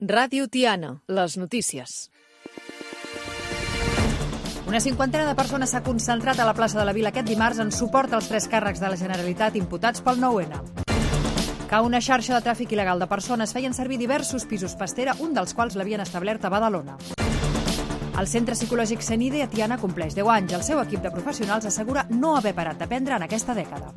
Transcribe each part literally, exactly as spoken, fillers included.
Ràdio Tiana, les notícies. Una cinquantena de persones s'ha concentrat a la plaça de la Vila aquest dimarts en suport als tres càrrecs de la Generalitat imputats pel nou ene. Que una xarxa de tràfic il·legal de persones feien servir diversos pisos pastera, un dels quals l'havien establert a Badalona. El Centre Psicològic Cenide a Tiana compleix deu anys. El seu equip de professionals assegura no haver parat d'aprendre en aquesta dècada.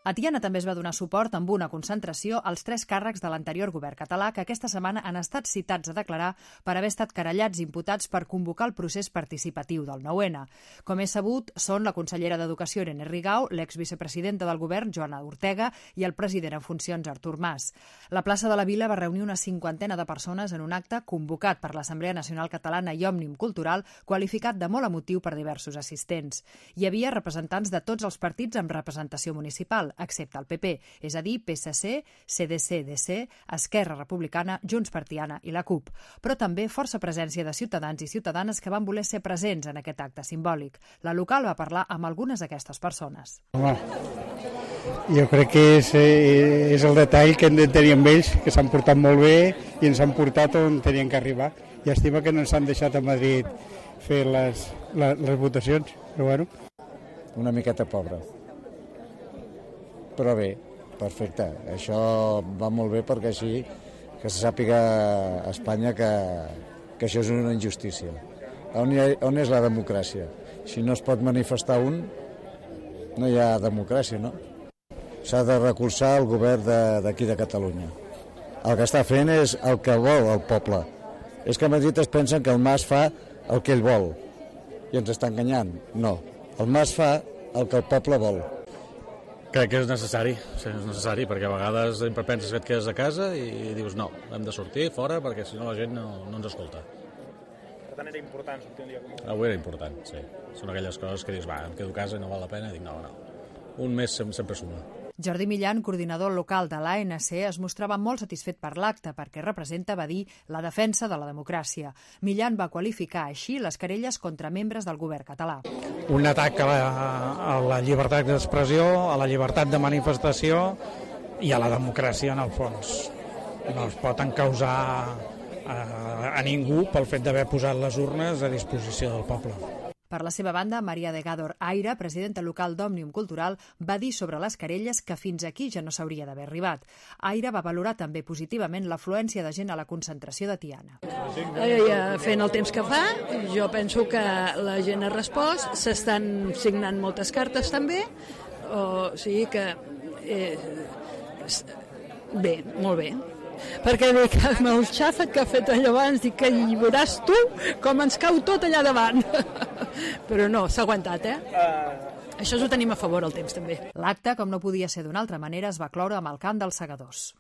A Tiana també es va donar suport amb una concentració als tres càrrecs de l'anterior govern català que aquesta setmana han estat citats a declarar per haver estat querellats i imputats per convocar el procés participatiu del nou ene. Com és sabut, són la consellera d'Educació Irene Rigau, l'exvicepresidenta del govern Joana Ortega i el president en funcions Artur Mas. La plaça de la Vila va reunir una cinquantena de persones en un acte convocat per l'Assemblea Nacional Catalana i Òmnium Cultural, qualificat de molt emotiu per diversos assistents. Hi havia representants de tots els partits amb representació municipal, excepte el pe pe, és a dir, pe esse ce, ce de ce de ce, Esquerra Republicana, Junts per Tiana i la CUP, però també força presència de ciutadans i ciutadanes que van voler ser presents en aquest acte simbòlic. La local va parlar amb algunes d'aquestes persones. Home, jo crec que és, és el detall que hem de tenir amb ells, que s'han portat molt bé i ens han portat on tenien que arribar. Llàstima que no ens han deixat a Madrid fer les, les, les votacions, però bueno. Una miqueta pobra. Però bé, perfecte. Això va molt bé perquè així que se sàpiga a Espanya que, que això és una injustícia. On, ha, on és la democràcia? Si no es pot manifestar un, no hi ha democràcia, no? S'ha de recolzar el govern d'aquí de, de Catalunya. El que està fent és el que vol el poble. És que a Madrid es pensen que el Mas fa el que ell vol i ens està enganyant. No, el Mas fa el que el poble vol. Crec que és necessari, sí, és necessari, perquè a vegades sempre penses que et quedes a casa i dius no, hem de sortir fora perquè si no la gent no, no ens escolta. Per tant era important sortir un dia com avui? Avui era important, sí. Són aquelles coses que dius, va, em quedo a casa i no val la pena, i dic no, no. Un mes sempre suma. Jordi Millan, coordinador local de l'A Ene Ce, es mostrava molt satisfet per l'acte perquè representa, va dir, la defensa de la democràcia. Millan va qualificar així les querelles contra membres del govern català. Un atac a la, a la llibertat d'expressió, a la llibertat de manifestació i a la democràcia en el fons. No es pot encausar a, a ningú pel fet d'haver posat les urnes a disposició del poble. Per la seva banda, Maria de Gádor Aira, presidenta local d'Òmnium Cultural, va dir sobre les querelles que fins aquí ja no s'hauria d'haver arribat. Aira va valorar també positivament l'afluència de gent a la concentració de Tiana. Eh, fent el temps que fa, jo penso que la gent ha respost, s'estan signant moltes cartes també, o sigui que eh, bé, molt bé. Perquè dic, amb el xàfec que ha fet allà abans, dic que hi veuràs tu com ens cau tot allà davant. Però no, s'ha aguantat, eh? Uh... Això ho tenim a favor, el temps, també. L'acte, com no podia ser d'una altra manera, es va cloure amb el cant dels segadors.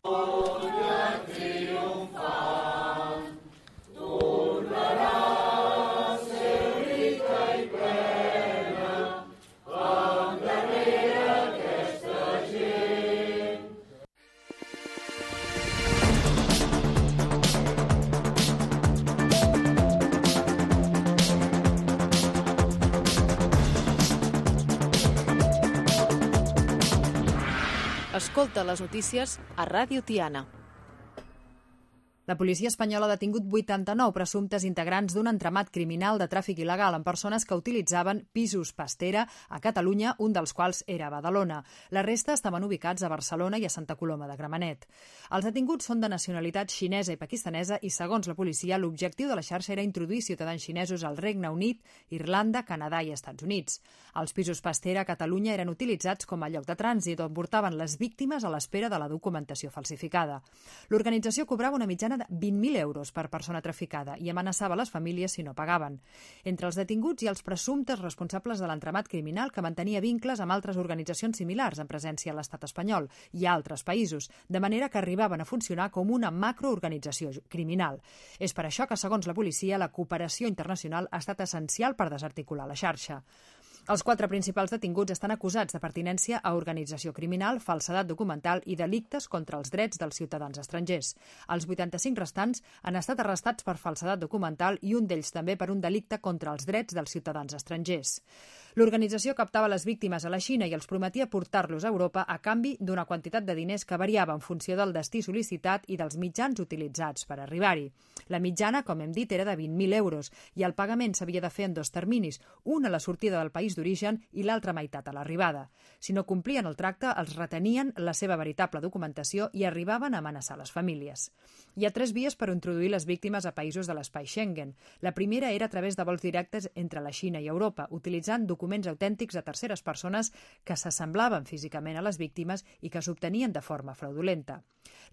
Escolta les notícies a Ràdio Tiana. La policia espanyola ha detingut vuitanta-nou presumptes integrants d'un entramat criminal de tràfic il·legal amb persones que utilitzaven pisos pastera a Catalunya, un dels quals era a Badalona. La resta estaven ubicats a Barcelona i a Santa Coloma de Gramenet. Els detinguts són de nacionalitat xinesa i pakistanesa i, segons la policia, l'objectiu de la xarxa era introduir ciutadans xinesos al Regne Unit, Irlanda, Canadà i Estats Units. Els pisos pastera a Catalunya eren utilitzats com a lloc de trànsit on portaven les víctimes a l'espera de la documentació falsificada. L'organització cobrava una mitjana de vint mil euros per persona traficada i amenaçava les famílies si no pagaven. Entre els detinguts hi ha els presumptes responsables de l'entramat criminal que mantenia vincles amb altres organitzacions similars amb presència a l'estat espanyol i a altres països, de manera que arribaven a funcionar com una macroorganització criminal. És per això que, segons la policia, la cooperació internacional ha estat essencial per desarticular la xarxa. Els quatre principals detinguts estan acusats de pertinència a organització criminal, falsedat documental i delictes contra els drets dels ciutadans estrangers. Els vuitanta-cinc restants han estat arrestats per falsedat documental i un d'ells també per un delicte contra els drets dels ciutadans estrangers. L'organització captava les víctimes a la Xina i els prometia portar-los a Europa a canvi d'una quantitat de diners que variava en funció del destí sol·licitat i dels mitjans utilitzats per arribar-hi. La mitjana, com hem dit, era de vint mil euros i el pagament s'havia de fer en dos terminis, un a la sortida del país d'origen i l'altra meitat a l'arribada. Si no complien el tracte, els retenien la seva veritable documentació i arribaven a amenaçar les famílies. Hi ha tres vies per introduir les víctimes a països de l'espai Schengen. La primera era a través de vols directes entre la Xina i Europa, utilitzant documents autèntics de terceres persones que s'assemblaven físicament a les víctimes i que s'obtenien de forma fraudulenta.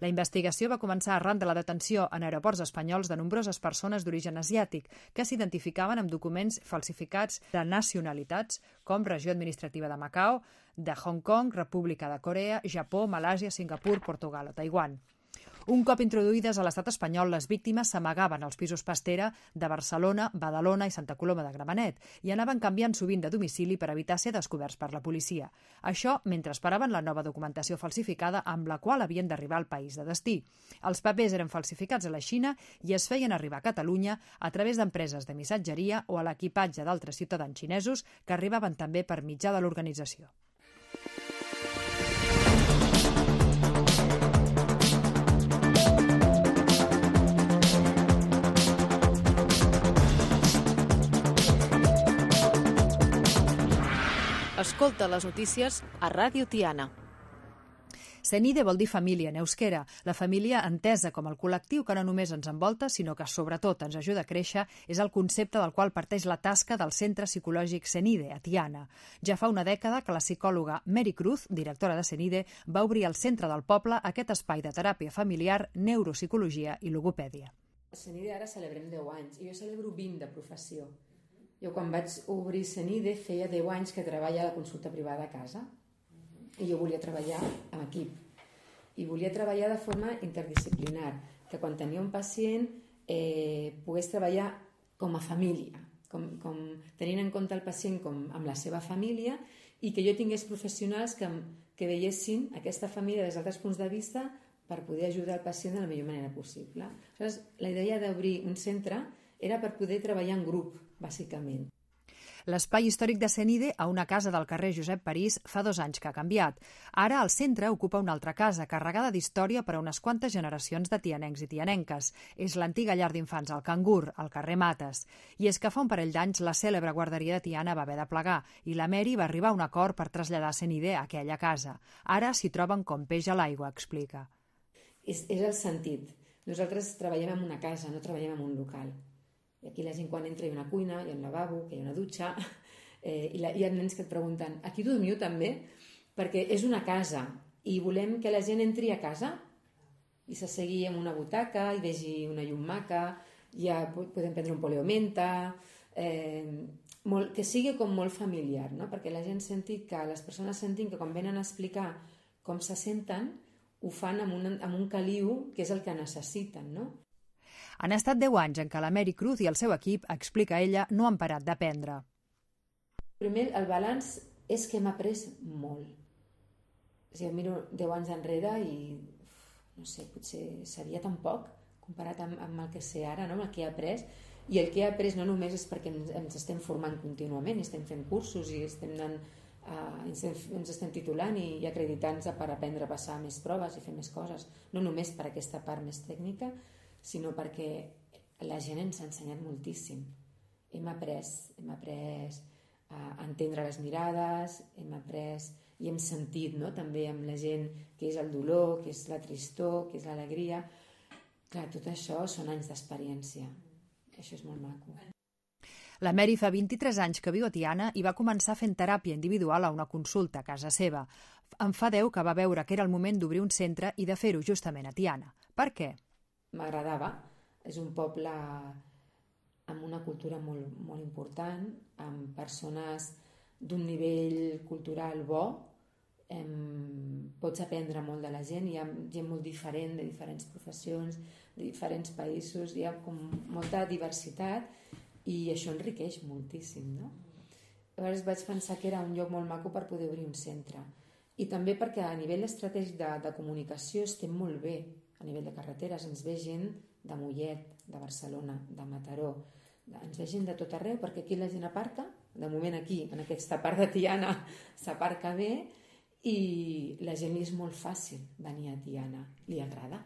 La investigació va començar arran de la detenció en aeroports espanyols de nombroses persones d'origen asiàtic que s'identificaven amb documents falsificats de nacionalitats com regió administrativa de Macao, de Hong Kong, República de Corea, Japó, Malàsia, Singapur, Portugal o Taiwan. Un cop introduïdes a l'estat espanyol, les víctimes s'amagaven als pisos Pastera de Barcelona, Badalona i Santa Coloma de Gramenet i anaven canviant sovint de domicili per evitar ser descoberts per la policia. Això mentre esperaven la nova documentació falsificada amb la qual havien d'arribar al país de destí. Els papers eren falsificats a la Xina i es feien arribar a Catalunya a través d'empreses de missatgeria o a l'equipatge d'altres ciutadans xinesos que arribaven també per mitjà de l'organització. Escolta les notícies a Ràdio Tiana. Cenide vol dir família en euskera, la família entesa com el col·lectiu que no només ens envolta, sinó que sobretot ens ajuda a créixer, és el concepte del qual parteix la tasca del Centre Psicològic Cenide, a Tiana. Ja fa una dècada que la psicòloga Mary Cruz, directora de Cenide, va obrir al centre del poble aquest espai de teràpia familiar, neuropsicologia i logopèdia. A Cenide ara celebrem deu anys i jo celebro vint de professió. Jo quan vaig obrir Cenide feia deu anys que treballa a la consulta privada a casa i jo volia treballar en equip i volia treballar de forma interdisciplinar, que quan tenia un pacient eh, pogués treballar com a família, com, com, tenint en compte el pacient com amb la seva família i que jo tingués professionals que, que veiessin aquesta família des d'altres punts de vista per poder ajudar el pacient de la millor manera possible. Aleshores, la idea d'obrir un centre era per poder treballar en grup, bàsicament. L'espai històric de Cenide, a una casa del carrer Josep París, fa dos anys que ha canviat. Ara el centre ocupa una altra casa, carregada d'història per a unes quantes generacions de tianencs i tianenques. És l'antiga llar d'infants al Cangur, al carrer Mates. I és que fa un parell d'anys la cèlebre guarderia de Tiana va haver de plegar i la Mary va arribar a un acord per traslladar Cenide a aquella casa. Ara s'hi troben com peix a l'aigua, explica. És, és el sentit. Nosaltres treballem en una casa, no treballem en un local. I aquí la gent quan entra hi ha una cuina, hi ha un lavabo, hi ha una dutxa, eh, i la, hi ha nens que et pregunten aquí dormiu també? Perquè és una casa i volem que la gent entri a casa i s'assegui en una butaca i vegi una llum maca, ja podem prendre un poleo-menta, eh, molt, que sigui com molt familiar, no? Perquè la gent senti que les persones sentin que quan venen a explicar com se senten ho fan amb un, amb un caliu que és el que necessiten, no? Han estat deu anys en què la Mary Cruz i el seu equip, explica ella, no han parat d'aprendre. Primer, el balanç és que hem après molt. O sigui, miro deu anys enrere i, no sé, potser sabia tan poc comparat amb, amb el que sé ara, no? Amb el que he après. I el que he après no només és perquè ens, ens estem formant contínuament, estem fent cursos i estem anant, uh, ens, ens estem titulant i, i acreditant-nos per aprendre a passar més proves i fer més coses. No només per aquesta part més tècnica, sinó perquè la gent ens ha ensenyat moltíssim. Hem après, hem après a entendre les mirades, hem après i hem sentit, no? També amb la gent què és el dolor, què és la tristor, què és l'alegria. Clar, tot això són anys d'experiència. Això és molt maco. La Mary fa vint-i-tres anys que viu a Tiana i va començar fent teràpia individual a una consulta a casa seva. En fa deu que va veure que era el moment d'obrir un centre i de fer-ho justament a Tiana. Per què? M'agradava. És un poble amb una cultura molt, molt important, amb persones d'un nivell cultural bo. Em, pots aprendre molt de la gent, hi ha gent molt diferent, de diferents professions, de diferents països, hi ha com molta diversitat i això enriqueix moltíssim, no? Llavors vaig pensar que era un lloc molt maco per poder obrir un centre. I també perquè a nivell estratègic de, de comunicació estem molt bé. A nivell de carreteres ens ve gent de Mollet, de Barcelona, de Mataró, ens ve gent de tot arreu, perquè aquí la gent aparca, de moment aquí, en aquesta part de Tiana, s'aparca bé i la gent li és molt fàcil venir a Tiana, li agrada.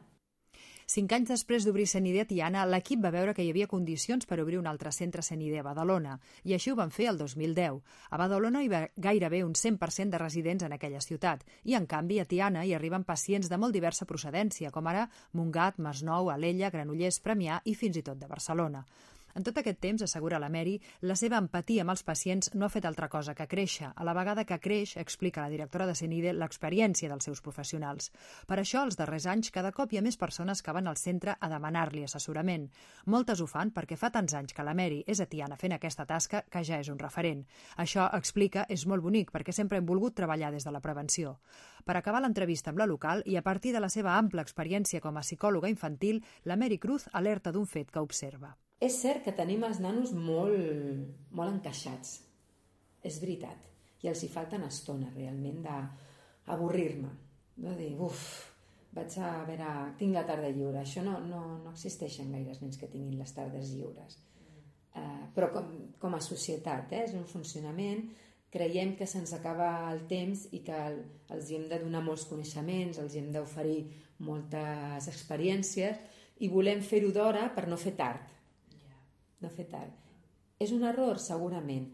Cinc anys després d'obrir Senide a Tiana, l'equip va veure que hi havia condicions per obrir un altre centre Senide a Badalona, i així ho van fer el dos mil deu. A Badalona hi va gairebé un cent per cent de residents en aquella ciutat, i en canvi a Tiana hi arriben pacients de molt diversa procedència, com ara Montgat, Masnou, Alella, Granollers, Premià i fins i tot de Barcelona. En tot aquest temps, assegura la Mary, la seva empatia amb els pacients no ha fet altra cosa que créixer, a la vegada que creix, explica la directora de Senide, l'experiència dels seus professionals. Per això, els darrers anys, cada cop hi ha més persones que van al centre a demanar-li assessorament. Moltes ho fan perquè fa tants anys que la Mary és a Tiana fent aquesta tasca que ja és un referent. Això, explica, és molt bonic perquè sempre hem volgut treballar des de la prevenció. Per acabar l'entrevista amb la local i a partir de la seva ampla experiència com a psicòloga infantil, la Mary Cruz alerta d'un fet que observa. És cert que tenim els nanos molt, molt encaixats, és veritat, i els hi falten estona realment d'avorrir-me, de dir, uf, vaig a veure, tinc la tarda lliure, això no, no, no existeixen gaires nens que tinguin les tardes lliures, uh, però com, com a societat, eh, és un funcionament, creiem que se'ns acaba el temps i que el, els hem de donar molts coneixements, els hem d'oferir moltes experiències i volem fer-ho d'hora per no fer tard. No fer tard. És un error, segurament,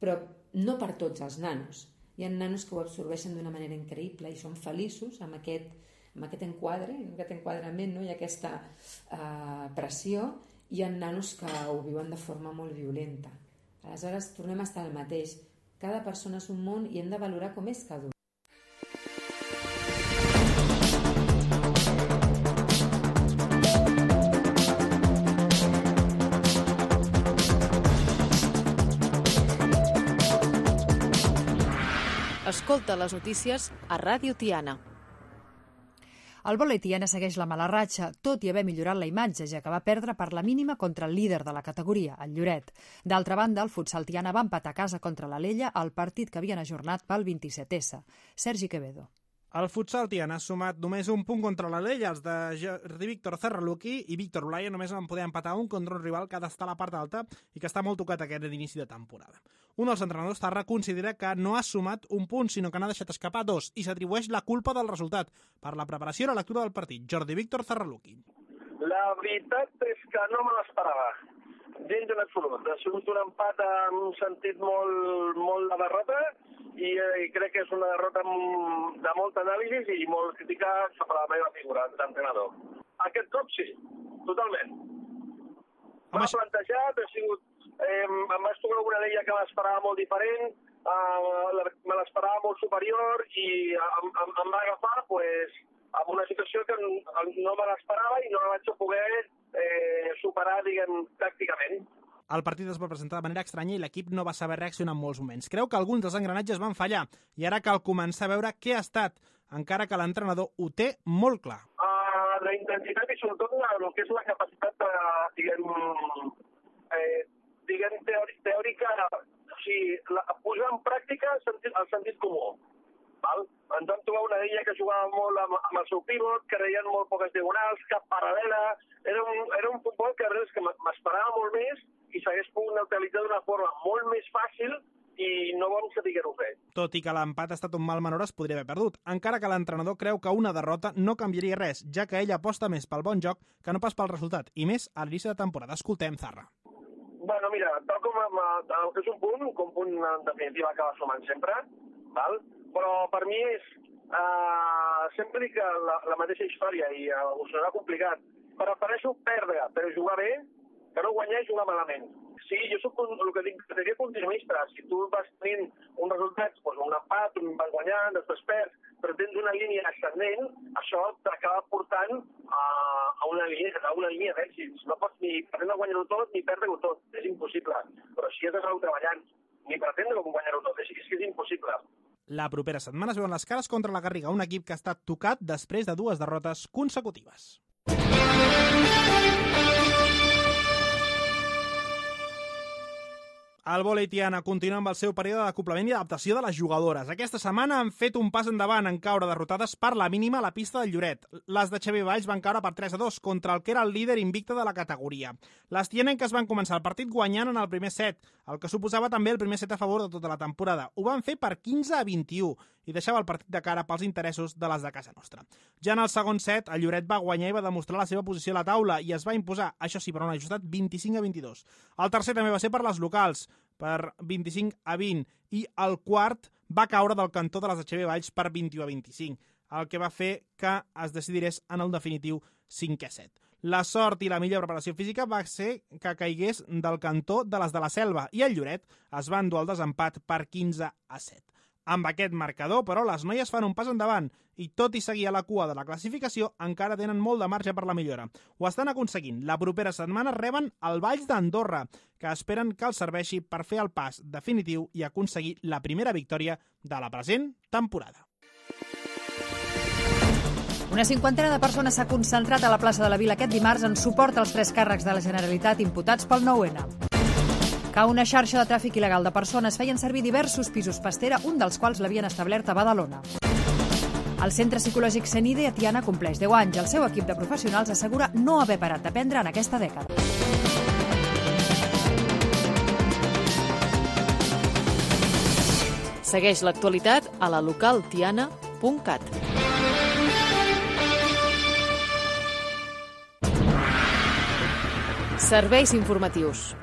però no per tots els nanos. Hi ha nanos que ho absorbeixen d'una manera increïble i són feliços amb aquest, amb aquest enquadre, amb aquest enquadrament, no? I aquesta uh, pressió. Hi ha nanos que ho viuen de forma molt violenta. Aleshores, tornem a estar al mateix. Cada persona és un món i hem de valorar com és cada un. Escolta les notícies a Ràdio Tiana. El vòlei Tiana segueix la mala ratxa, tot i haver millorat la imatge, ja que va perdre per la mínima contra el líder de la categoria, el Lloret. D'altra banda, el futsal Tiana va empatar a casa contra l'Alella al partit que havien ajornat pel vint-i-set essa. Sergi Quevedo. El futsal Tiana ha sumat només un punt contra l'Alella. Els de Jordi Víctor Zarraluki i Víctor Olaya només van poder empatar un contra un rival que ha d'estar a la part alta i que està molt tocat aquest d'inici de temporada. Un dels entrenadors, Zarra, considera que no ha sumat un punt, sinó que n'ha deixat escapar dos, i s'atribueix la culpa del resultat per la preparació i la lectura del partit. Jordi Víctor Zarraluki. La veritat és que no me l'esperava, gens en absolut. Ha sigut un empat en un sentit molt, molt de derrota, i, i crec que és una derrota de molta anàlisi i molt crítica sobre la meva figura d'entrenador. Aquest cop sí, totalment. M'ha Home... plantejat, ha sigut, eh, em vaig tocar alguna d'ella que m'esperava molt diferent, eh, me l'esperava molt superior i em, em, em va agafar pues, en una situació que no me l'esperava i no la vaig poder eh, superar, diguem, tàcticament. El partit es va presentar de manera estranya i l'equip no va saber reaccionar en molts moments. Creu que alguns dels engranatges van fallar i ara cal començar a veure què ha estat, encara que l'entrenador ho té molt clar. Uh, la intensitat i sobretot el que és la capacitat de, diguem, eh, diguem teòrica, teòrica o sigui, la, posar en pràctica el sentit, el sentit comú. Val? Ens vam trobar una d'ella que jugava molt amb, amb el seu pivot, que reien molt poques diagonals, cap paral·lela. Era un, era un futbol que, que m'esperava molt més i s'hagués pogut neutralitzar d'una forma molt més fàcil i no vam saber-ho fer. Tot i que l'empat ha estat un mal menor, es podria haver perdut, encara que l'entrenador creu que una derrota no canviaria res, ja que ell aposta més pel bon joc que no pas pel resultat, i més a l'inici de temporada. Escoltem Zarra. Bueno, mira, tal com el que és un punt, com un punt en definitiva acaba sumant sempre, val? Però per mi és, uh, sempre dic la, la mateixa història i uh, ho serà complicat. Prefereixo perdre, però jugar bé, que no guanyar i jugar malament. Sí, jo soc un, el que dic, seria continuista. Si tu vas tenint un resultat, doncs un empat, un vas guanyant, després perds, però tens una línia ascendent, això t'acaba portant a, a una línia, a una línia d'èxits. No pots ni pretendre guanyar-ho tot ni perdre-ho tot, és impossible. Però si has d'anar treballant, ni pretendre guanyar-ho tot, és, és que és impossible. La propera setmana es veuen les cares contra la Garriga, un equip que ha estat tocat després de dues derrotes consecutives. El vòlei Tiana continua amb el seu període d'acoplament i adaptació de les jugadores. Aquesta setmana han fet un pas endavant en caure derrotades per la mínima a la pista del Lloret. Les de Xavier Valls van caure per tres a dos contra el que era el líder invicte de la categoria. Les tianenques van començar el partit guanyant en el primer set, el que suposava també el primer set a favor de tota la temporada. Ho van fer per quinze a vint-i-u i deixava el partit de cara pels interessos de les de casa nostra. Ja en el segon set, el Lloret va guanyar i va demostrar la seva posició a la taula i es va imposar, això sí, per un ajustat vint-i-cinc a vint-i-dos. El tercer també va ser per les locals, per vint-i-cinc a vint, i el quart va caure del cantó de les de Xavier Valls per vint-i-u a vint-i-cinc, el que va fer que es decidís en el definitiu cinquè set. La sort i la millor preparació física va ser que caigués del cantó de les de la Selva i el Lloret es va endur el desempat per quinze a set. Amb aquest marcador, però, les noies fan un pas endavant i, tot i seguir a la cua de la classificació, encara tenen molt de marge per la millora. Ho estan aconseguint. La propera setmana reben el Valls d'Andorra, que esperen que els serveixi per fer el pas definitiu i aconseguir la primera victòria de la present temporada. Una cinquantena de persones s'ha concentrat a la plaça de la Vila aquest dimarts en suport als tres càrrecs de la Generalitat imputats pel nou ene. Que una xarxa de tràfic il·legal de persones feien servir diversos pisos pastera, un dels quals l'havien establert a Badalona. El Centre Psicològic Senide a Tiana compleix deu anys. El seu equip de professionals assegura no haver parat d'aprendre en aquesta dècada. Segueix l'actualitat a la local tiana punt cat. Serveis informatius.